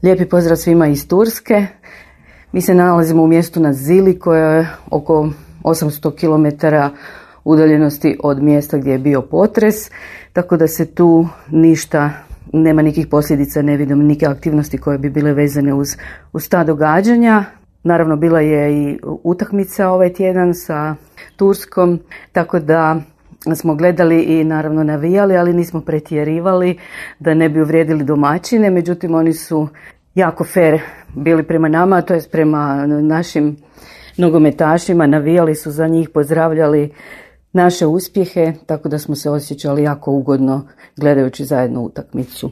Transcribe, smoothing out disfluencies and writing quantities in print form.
Lijepi pozdrav svima iz Turske. Mi se nalazimo u mjestu Nazilli koje je oko 800 km udaljenosti od mjesta gdje je bio potres, tako da se tu nema nikih posljedica, ne vidim neke aktivnosti koje bi bile vezane uz ta događanja. Naravno, bila je i utakmica ovaj tjedan sa Turskom, tako da smo gledali i naravno navijali, ali nismo pretjerivali da ne bi uvrijedili domaćine. Međutim, oni su jako fair bili prema nama, to jest prema našim nogometašima. Navijali su za njih, pozdravljali naše uspjehe, tako da smo se osjećali jako ugodno gledajući zajedno utakmicu.